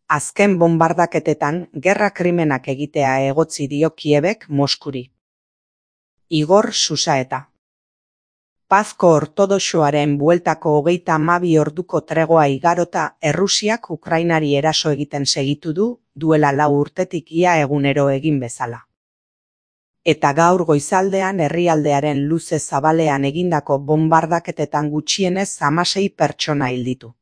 Azken bonbardaketetan gerra krimenak egitea egotzi dio Kiebek Moskuri. Igor Susaeta. Pazko ortodoxoaren bueltako 32 orduko tregoa igarota Errusiak Ukrainari eraso egiten segitu duela 4 urtetik ia egunero egin bezala. Eta gaur goizaldean herrialdearen luze zabalean egindako bonbardaketetan gutxienez 16 pertsona hil ditu.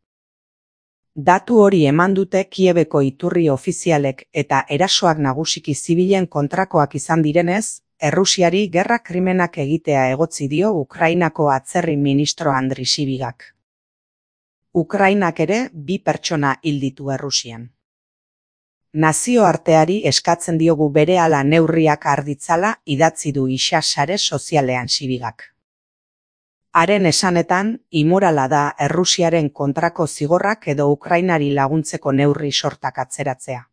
Datu hori eman dute Kiebeko iturri ofizialek eta erasoak nagusiki zibilen kontrakoak izan direnez, Errusiari gerra krimenak egitea egotzi dio Ukrainako atzerri ministro Andri Sibigak. Ukrainak ere 2 pertsona hil ditu Errusian. Nazioarteari eskatzen diogu berehala neurriak har ditzala idatzi du isa sare sozialean Sibigak. Haren esanetan, imorala da Errusiaren kontrako zigorrak edo Ukrainari laguntzeko neurri sortak atzeratzea.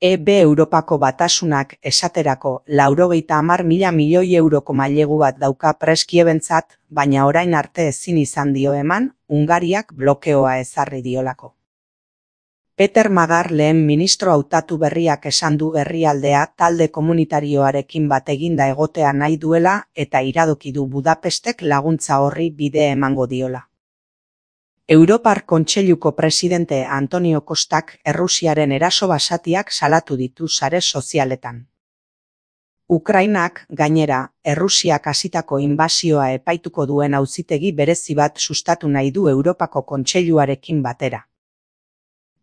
Europako Batasunak esaterako 90.000 milioi euroko mailegu bat dauka prest Kiebentzat, baina orain arte ezin izan dio eman, Hungariak blokeoa ezarri diolako. Peter Magar lehen ministro hautatu berriak esan du herrialdea talde komunitarioarekin bat eginda egotea nahi duela eta iradoki du Budapestek laguntza horri bide emango diola. Europar Kontseiluko presidente Antonio Costak Errusiaren eraso basatiak salatu ditu sare sozialetan. Ukrainak, gainera, Errusiak hasitako inbasioa epaituko duen auzitegi berezi bat sustatu nahi du Europako Kontseiluarekin batera.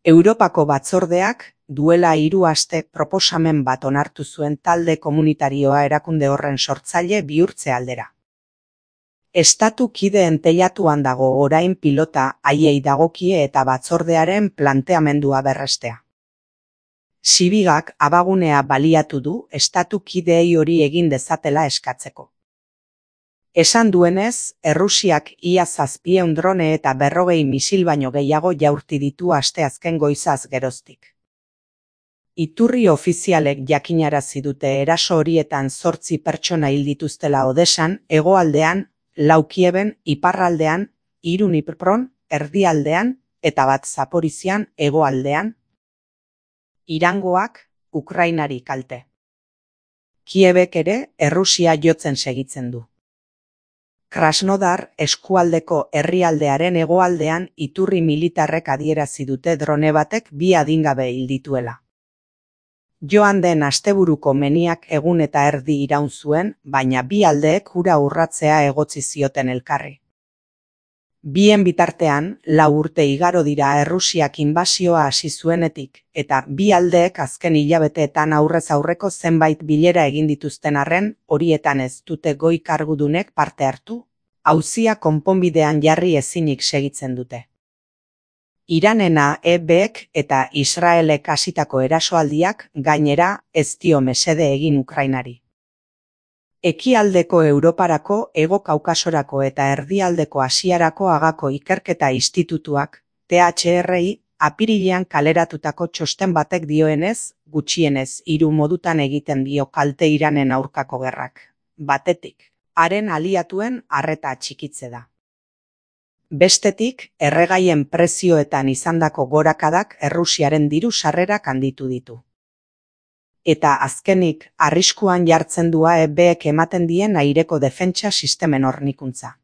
Europako batzordeak duela 3 aste proposamen bat onartu zuen talde komunitarioa erakunde horren sortzaile bihurtze aldera. Estatu kideen teilatuan dago orain pilota haiei dagokie eta batzordearen planteamendua berrestea. Sibigak abagunea baliatu du estatu kideei hori egin dezatela eskatzeko. Esan duenez, Errusiak ia 700 drone eta 40 misil baino gehiago jaurti ditu asteazken goizaz geroztik. Iturri ofizialek jakinarazi dute eraso horietan 8 pertsona hil dituztela Odesan, hegoaldean, 4 Kieben, iparraldean, 3 Dnipron, erdialdean, eta 1 Zaporizian, hegoaldean. Irangoak, Ukrainari kalte. Kiebek ere Errusia jotzen segitzen du. Krasnodar eskualdeko herrialdearen hegoaldean iturri militarrek adierazi dute drone batek 2 adingabe hil dituela. Joan den asteburuko meniak egun eta erdi iraun zuen, baina 2 aldeek hura urratzea egotzi zioten elkarri. Bien bitartean, 4 urte igaro dira Errusiak inbasioa hasi zuenetik, eta 2 aldeek azken hilabeteetan aurrez aurreko zenbait bilera egin dituzten arren, horietan ez dute goi kargudunek parte hartu, auzia konponbidean jarri ezinik segitzen dute. Iranena EBek eta Israelek hasitako erasoaldiak gainera ez dio mesede egin Ukrainari. Ekialdeko Europarako, Hego Kaukasorako eta Erdialdeko Asiarako Agako Ikerketa Institutuak, THRI, apirilean kaleratutako txosten batek dioenez, gutxienez 3 modutan egiten dio kalte Iranen aurkako gerrak. Batetik, haren aliatuen arreta txikitze da. Bestetik, erregaien prezioetan izandako gorakadak Errusiaren diru sarrerak handitu ditu. Eta azkenik, arriskuan jartzen du EBek ematen dien aireko defentsa sistemen hornikuntza.